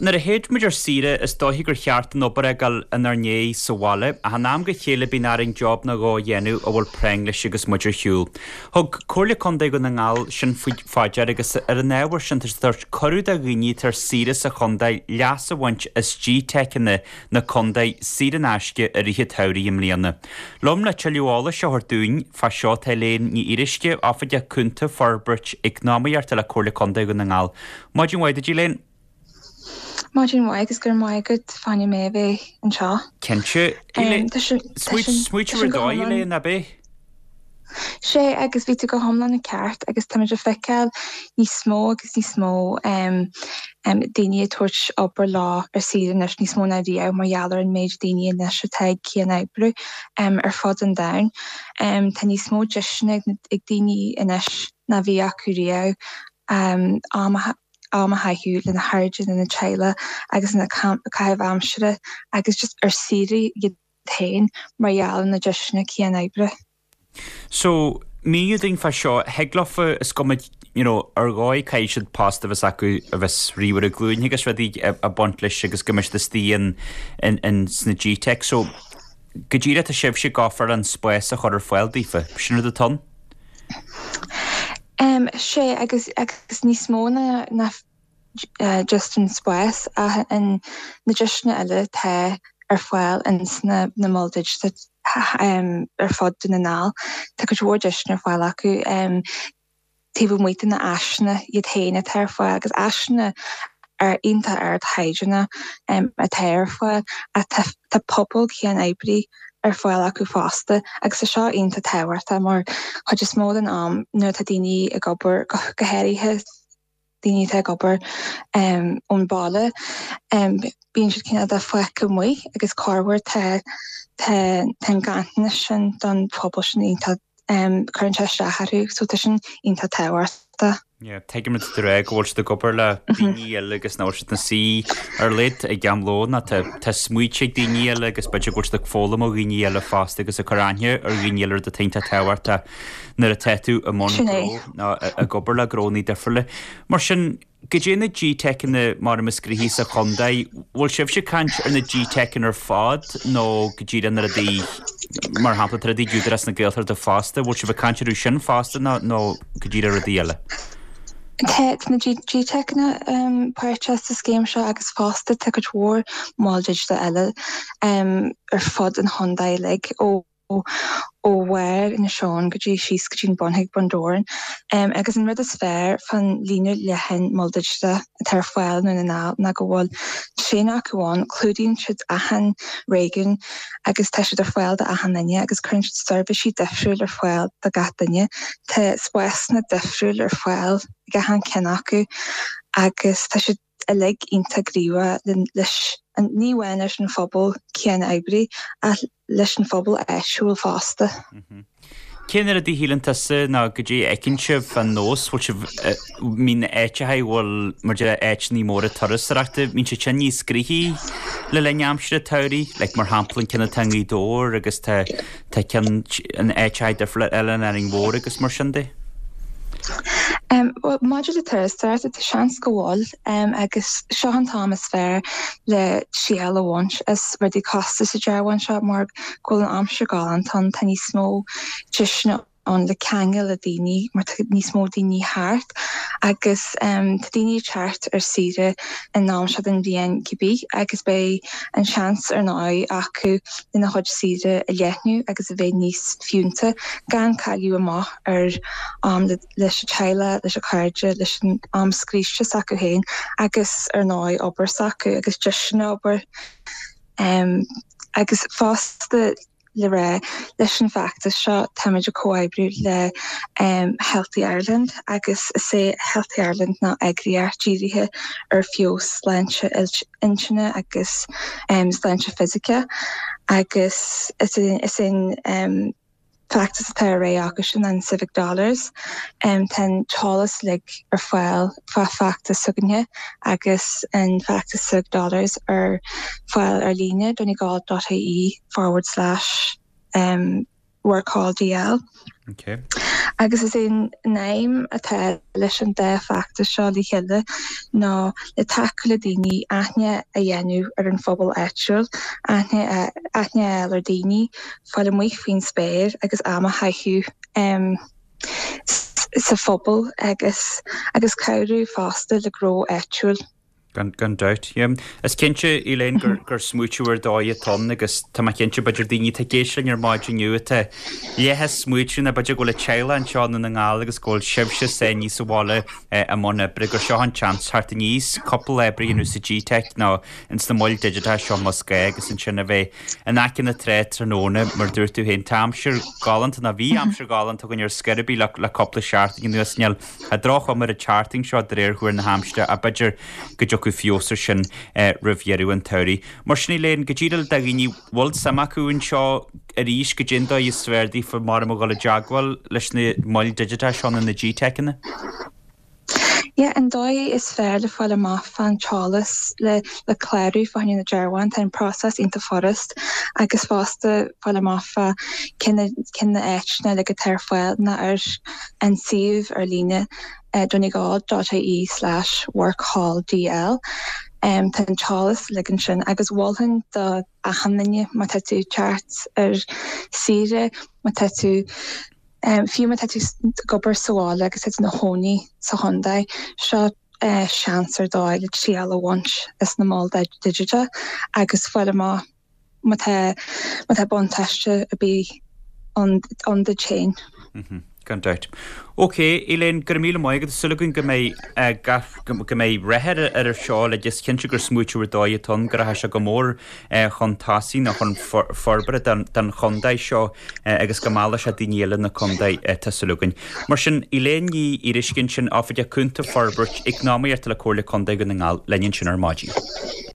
Nuair a théid muid ar saoire is dóichí gur cheart an obair a fhágáil inár ndiaidh sa bhaile, ach in am go chéile bíonn orainn job nó dhó a dhéanamh a bhfuil práinn leis agus muid ar shiúl. Thug Comhairle Contae Dhún na nGall sin fá dear agus ar an ábhar sin tá siad ag tabhairt cuireadh do dhaoine atá ar saoire sa chontae leas a bhaint as GTeiceanna na contae saor in aisce i rith an tsamhraidh i mbliana. Liom le tuilleadh eolais a thabhairt dúinn fá seo tá Elaine Ní Fhíoruisce, Oifigeach Cúnta Forbairt Eacnamaíochta le Comhairle Contae Dhún na nGall. Maidin mhaith duit Elaine. Maidin mhaith agus go raibh maith agat fá choinne mé a bheith anseo. Cinnte. Smaoitiú ar dóigh Elaine, ab ea? Sea, agus bhí tú go hiomlán ceart agus táimid ag feiceáil níos mó agus níos mó daoine ag tabhairt obair leo ar saoire anois, níos mó ná riamh mar gheall ar an méid daoine anois atá ag cian-oibriú ar fud an domhain. Tá níos mó deiseanna ag daoine anois ná bhí acu riamh am a am a chaitheamh lena chairde, lena teaghlach agus ina caitheamh aimsire agus just ar saoire iad féin mar gheall ar na deiseanna cian-oibre. So, míniú dúinn fá seo, thig leofa is cuma you know ar dhóigh caithfidh siad post a bheas acu a bheas ríomhaire glúine agus rudaí ag baint leis agus go mbeidh siad istigh in in in sna GTeic. So, go díreach tá sibhse ag offer an spás a chur ar fáil daofa. Sin rud atá ann? Sea, agus agus níos mó ná ná just an spás ach an na deiseanna eile atá ar fáil ins na na moil digiteacha ar fud Dhún na nGall. Tá cuid mhór deiseanna ar fáil acu taobh amuigh de na áiseanna iad féin atá ar fáil agus áiseanna ar iontach ardchaighdeán atá ar fáil ach tá tá pobal cian-oibrí ar fáil acu fosta agus tá seo iontach tábhachtach mar chuid is mó den am nuair atá daoine ag obair, go háirithe daoine atá ag obair ón bhaile, bíonn siad cineál de fágtha amuigh agus corruair tá tá an ganntanas sin don phobal sin iontach cuireann sé isteach orthu so tá sin iontach tábhachtach. Yeah, tuigim rud atá tú a rá go bhfuil siad ag obair le daoine eile agus nach bhfuil siad ina suí ar leid ag am lóin ach tá tá smaointe ag daoine eile agus b'fhéidir go bhfuil siad ag foghlaim ó dhaoine eile fosta agus ag cur aithne ar dhaoine eile rud atá iontach tábhachtach nuair atá tú i mbun Sin é. gnó nó ag obair le gnónnaí difriúla. Mar sin, Goidé na GTeiceanna mar is gnoithí sa chontae, bhfuil sibhse ag caint ar na GTeiceanna ar fad nó go díreach na rudaí, mar shampla, tá rudaí ag Údarás na Gaeltachta fosta, bhfuil sibh ag caint orthu sin fosta nó nó go díreach rudaí eile? Tá na GTeiceanna páirteach sa scéim seo agus fosta tá cuid mhór moil digiteach eile ar fud an chontae uilig ó ó bharr Inis Eoghain go dtí síos go dtí an bun chuig Bun Dobhráin. Agus an rud is fearr fán líne leathan mol digiteach atá ar fáil i nDún na nGall ná go bhfuil tréan acu ann, clúdaíonn siad achan réigiún agus tá siad ar fáil do achan duine agus cuireann siad seirbhísí difriúil ar fáil do gach duine. Tá spásanna difriúil ar fáil ag achan ceann acu agus tá siad uilig iontach gníomhach leis an, ní amháin leis an phobal cian-oibrí ach leis an phobal áitiúil fosta. Cén rud a shíleann tusa nó goidé a fheiceann sibh fán nós, bhfuil sibh, mbíonn áiteacha a bhfuil, mar deir áiteanna móra turasóireachta, mbíonn siad sin níos gnoithí le linn aimsire tsamhraidh, like mar shampla an ceann atá i nGaoth Dobhair agus tá Tá ceann in áiteacha difriúla eile in Árainn Mhór agus mar sin de. Bhuel, maidir le turasóireacht, tá seans go bhfuil, agus seo an t-am is fearr le triail a bhaint as rudaí cosúil sa dearbhán seo mar go bhfuil an aimsir galánta ann, tá níos mó deiseanna ann le ceangal le daoine mar tá níos mó daoine thart agus tá daoine ag teacht ar saoire an am seo den bhliain cibé agus beidh an seans ar ndóigh acu lena chuid saoire a leathnú agus a bheith níos fiúnta gan cailleadh amach ar am leis an teaghlach, leis an cairde, leis an am scríste s'acu féin agus ar ndóigh obair s'acu agus deiseanna obair agus fosta. le rá, leis an bhfeachtas seo táimid ag comhoibriú le Healthy Ireland agus is é Healthy Ireland ná eagraíocht dírithe ar feabhas sláinte intinne agus sláinte fisice agus is é an feachtas atá ar aghaidh acu sin an Civic Dollars. Tá an t-eolas uilig ar fáil fá feachtas s'againne agus an feachtas Civic Dollars ar fáil ar líne, donegal dot ie. forward slash workhall DL. Okay. Agus is é an aidhm atá leis an dá feachtas seo le chéile ná le tacú le daoine aithne a dhéanamh ar an phobal áitiúil, aithne a fháil ar daoine, fáil amuigh faoin spéir agus am a chaitheamh sa phobal agus agus cabhrú fosta le gnó áitiúil. Gan dabht. Yeah. Is cinnte, Elaine, gur, gur smaoitiú ar dóigh atá ann agus tá mé cinnte b'fhéidir daoine atá ag éisteacht linn ar maidin inniu atá leath ag smaoitiú nó b'fhéidir go bhfuil a teaghlach anseo i nDún na nGall agus go bhfuil sibhse sáinnithe sa bhaile i mbun oibre gur seo an tseans theacht aníos cúpla obair a dhéanamh sa GTeic nó ins na moil digiteacha seo más gá agus ansin a bheith in aice na trá tráthnóna mar dúirt tú féin tá aimsir ghalánta nó bhí aimsir ghalánta againn ar scor ar bith le, le cúpla seachtain anuas níl Tá droch-chuma ar an tseachtain seo de réir thuar na haimsire ach b'fhéidir go dtiocfaidh feabhas ar sin roimh dheireadh an tsamhraidh. Mar sin Elaine, go díreach do dhaoine a bhfuil suim acu anseo arís, goidé an dóigh is fearr daofa mar a dhul i dteagmháil leis na moil digiteacha seo nó na GTeiceanna? Yeah, an dóigh is fearr le fáil amach fán t-eolas le le clárú fá choinne na dearbháin, tá an próiseas iontach furast agus fosta fáil amach fá cé na cé na áiteanna uilig atá ar fáil ná ar an suíomh ar líne donegal dot ie slash workhalldl. Tá an t-eolas uilig ansin agus mholfainn do achan duine má tá tú ag teacht ar saoire, má tá tú, fiú má tá tú ag obair sa bhaile agus tá tú ina chónaí sa chontae, seo seans ar dóigh le triail a bhaint as na moil digiteacha agus fáil amach má tá má tá buntáiste ar bith ann ann duit féin. Gan dabht. Ok, Elaine, go raibh míle maith agat. Súil againn go mbeidh gach, go mbeidh rath ar ar seo uilig. Is cinnte gur smaoitiú ar dóigh atá ann, go rachaidh sé go mór chun tosaigh nó chun forbartha don don chontae seo agus go meallfaidh sé daoine eile na contae, tá súil againn. Mar sin, Elaine Ní Fhíoruisce ansin, Oifigeach Cúnta Forbairt Eacnamaíochta le Comhairle Contae Dhún na nGall, linn ansin ar maidin.